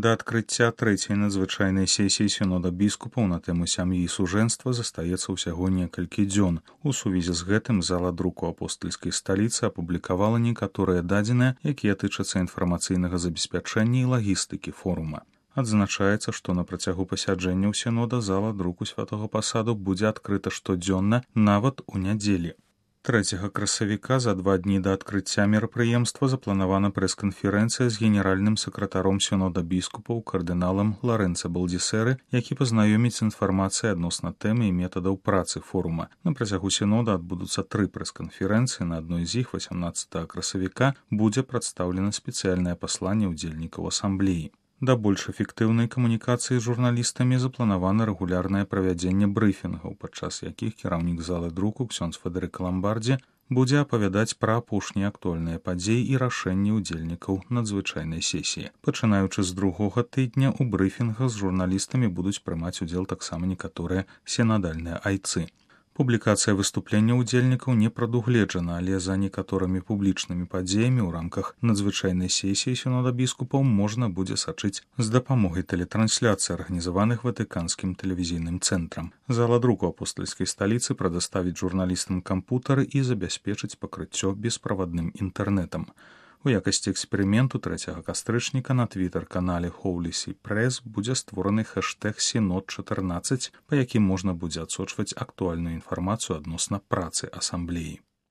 Да адкрыцця трэцяй надзвычайнай сесіі сінода біскупаў на тэму сям'і і сужэнства застаецца ўсяго некалькі дзён. У сувязі з гэтым зала друку апостальскай сталіцы апублікавала некаторыя дадзеныя, якія тычацца інфармацыйнага забеспячэння і лагістыкі форума. Адзначаецца, што на працягу пасяджэнняў сінода зала друку святога пасаду будзе адкрыта штодзённа, нават у нядзелі. 3 красавіка за 2 дні да адкрыцця мерапрыемства запланавана прэс-канферэнцыя з генеральным сакратаром сінода біскупаў кардыналам Ларэнца Балдзісэры, які пазнаёміць інфармацыяй адносна тэмы і метадаў працы форума. На працягу сінода адбудуцца 3 прэс-канферэнцыі, на адной з іх 18 красавіка будзе прадстаўлена спецыяльнае пасланне ўдзельнікаў асамблеі. Да больш эфектыўнай камунікацыі з журналістамі запланавана рэгулярнае правядзенне брыфінгаў, падчас якіх кіраўнік залы друку ксёндз Федэрык Ламбардзі будзе апавядаць пра апошнія актуальныя падзеі і рашэнні ўдзельнікаў надзвычайнай сесіі. Пачынаючы з другога тыдня у брыфінгах з журналістамі будуць прымаць удзел таксама некаторыя сінадальныя айцы. Публікацыя выступлення ўдзельнікаў не прадугледжана, але за некаторымі публічнымі падзеямі ў рамках надзвычайнай сесіі сінода біскупаў можна будзе сачыць з дапамогай тэлетрансляцый, арганізаваных ватыканскім тэлевізійным цэнтрам. Зала друку апостальскай сталіцы прадаставіць журналістам кампутары і забяспечыць пакрыццё бесправадным інтэрнэтам. У якасці эксперыменту 3 кастрычніка на твітар-канале Holy See Press будзе створаны хэштэг Сінод-14, па якім можна будзе адсочваць актуальную інфармацыю адносна працы асамблеі.